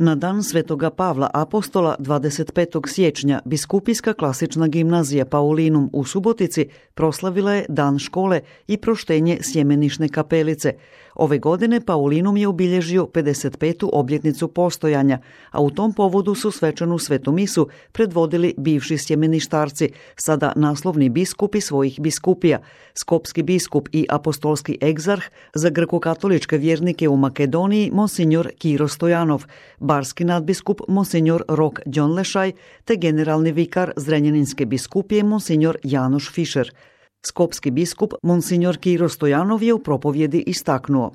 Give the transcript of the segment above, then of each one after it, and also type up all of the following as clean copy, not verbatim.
Na dan Svetoga Pavla Apostola 25. siječnja Biskupijska klasična gimnazija Paulinum u Subotici proslavila je Dan škole i proštenje Sjemenišne kapelice. Ove godine Paulinum je obilježio 55. obljetnicu postojanja, a u tom povodu su svečanu svetu misu predvodili bivši sjemeništarci, sada naslovni biskupi svojih biskupija, skopski biskup i apostolski egzarh za grko-katoličke vjernike u Makedoniji Monsignor Kiro Stojanov, barski nadbiskup Monsignor Rok Đonlešaj te generalni vikar Zrenjaninske biskupije Monsignor Janoš Fišer. Skopski biskup Monsignor Kiro Stojanov je u propovjedi istaknuo: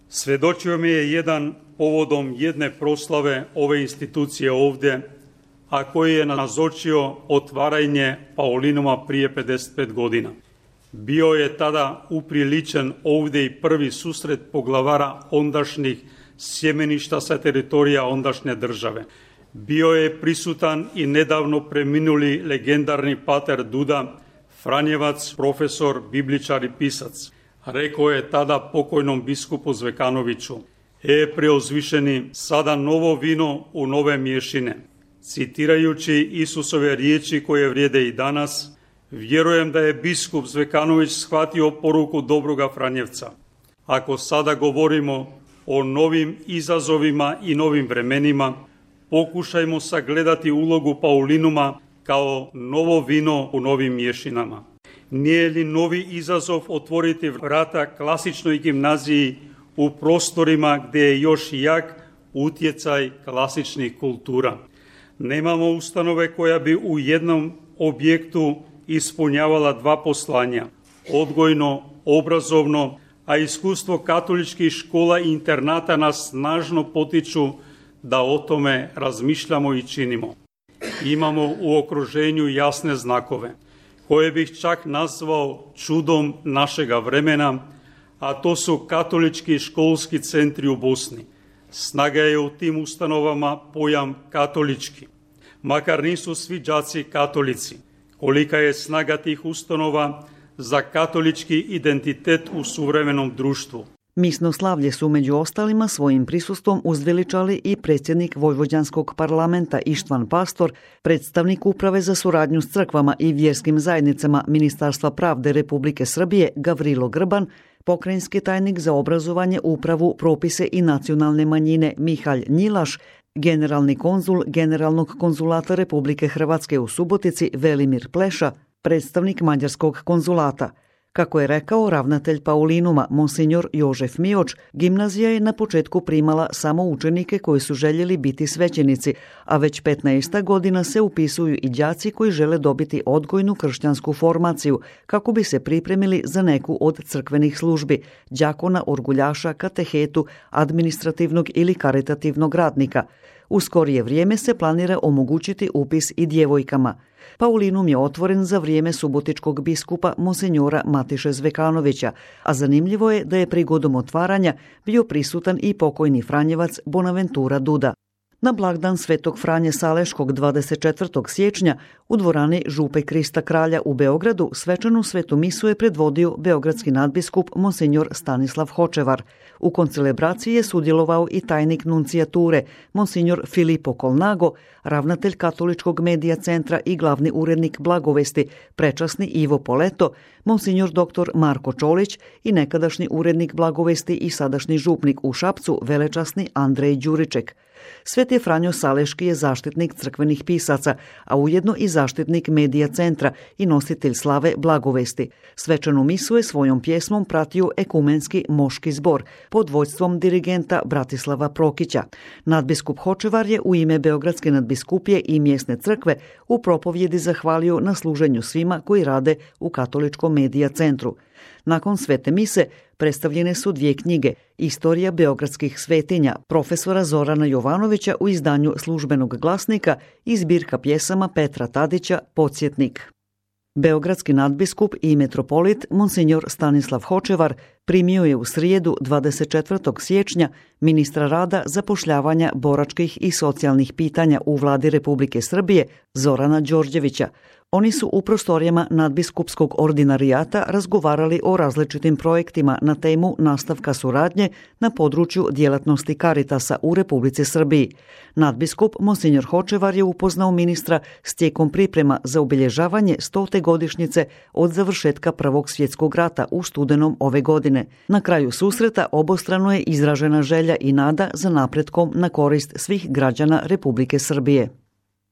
Svedočio mi je jedan povodom jedne proslave ove institucije ovdje, a koji je nazočio otvaranje Paulinuma prije 55 godina. Bio je tada upriličen ovdje i prvi susret poglavara ondašnjih sjemeništa sa teritorija ondašnje države. Bio je prisutan i nedavno preminuli legendarni pater Duda, Franjevac, profesor, bibličar i pisac. Rekao je tada pokojnom biskupu Zvekanoviću: preuzvišeni, sada novo vino u nove mješine. Citirajući Isusove riječi koje vrijede i danas, vjerujem da je biskup Zvekanović shvatio poruku dobroga Franjevca. Ako sada govorimo o novim izazovima i novim vremenima, pokušajmo sagledati ulogu Paulinuma kao novo vino u novim mješinama. Nije li novi izazov otvoriti vrata klasičnoj gimnaziji u prostorima gdje je još jak utjecaj klasičnih kultura? Nemamo ustanove koja bi u jednom objektu ispunjavala dva poslanja, odgojno, obrazovno, a iskustvo katoličkih škola i internata nas snažno potiču da o tome razmišljamo i činimo. Imamo u okruženju jasne znakove, koje bih čak nazvao čudom našega vremena, a to su katolički školski centri u Bosni. Snaga je u tim ustanovama pojam katolički, makar nisu svi đaci katolici. Kolika je snaga tih ustanova za katolički identitet u suvremenom društvu. Misno slavlje su među ostalima svojim prisustvom uzveličali i predsjednik Vojvođanskog parlamenta Ištvan Pastor, predstavnik Uprave za suradnju s crkvama i vjerskim zajednicama Ministarstva pravde Republike Srbije Gavrilo Grban, pokrajinski tajnik za obrazovanje, upravu, propise i nacionalne manjine Mihalj Njilaš, generalni konzul Generalnog konzulata Republike Hrvatske u Subotici Velimir Pleša, predstavnik Mađarskog konzulata. Kako je rekao ravnatelj Paulinuma Monsignor Jožef Mioč, gimnazija je na početku primala samo učenike koji su željeli biti svećenici, a već 15 godina se upisuju i đaci koji žele dobiti odgojnu kršćansku formaciju kako bi se pripremili za neku od crkvenih službi, đakona, orguljaša, katehetu, administrativnog ili karitativnog radnika. U skorije vrijeme se planira omogućiti upis i djevojkama. Paulinum je otvoren za vrijeme subotičkog biskupa Monsenjora Matiše Zvekanovića, a zanimljivo je da je prigodom otvaranja bio prisutan i pokojni Franjevac Bonaventura Duda. Na blagdan Svetog Franje Saleškog 24. siječnja u dvorani Župe Krista Kralja u Beogradu svečanu svetu misu je predvodio beogradski nadbiskup Monsenjor Stanislav Hočevar. U koncelebraciji je sudjelovao i tajnik nuncijature Monsignor Filipo Kolnago, ravnatelj Katoličkog medija centra i glavni urednik Blagovesti, prečasni Ivo Poleto, Monsignor dr. Marko Čolić i nekadašnji urednik Blagovesti i sadašnji župnik u Šapcu, velečasni Andrej Đuriček. Sveti Franjo Saleški je zaštitnik crkvenih pisaca, a ujedno i zaštitnik medija centra i nositelj slave Blagovesti. Svečanu misu je svojom pjesmom pratio ekumenski moški zbor pod vodstvom dirigenta Bratislava Prokića. Nadbiskup Hočevar je u ime Beogradske nadbiskupije i mjesne crkve u propovjedi zahvalio na služenju svima koji rade u Katoličkom medija centru. Nakon svete mise predstavljene su dvije knjige: Istorija beogradskih svetinja profesora Zorana Jovanovića u izdanju Službenog glasnika i zbirka pjesama Petra Tadića Podsjetnik. Beogradski nadbiskup i metropolit Monsignor Stanislav Hočevar primio je u srijedu 24. siječnja ministra rada, zapošljavanja, boračkih i socijalnih pitanja u vladi Republike Srbije Zorana Đorđevića. Oni su u prostorijama nadbiskupskog ordinarijata razgovarali o različitim projektima na temu nastavka suradnje na području djelatnosti Karitasa u Republici Srbiji. Nadbiskup Monsignor Hočevar je upoznao ministra s tijekom priprema za obilježavanje 100. godišnjice od završetka Prvog svjetskog rata u studenom ove godine. Na kraju susreta obostrano je izražena želja i nada za napretkom na korist svih građana Republike Srbije.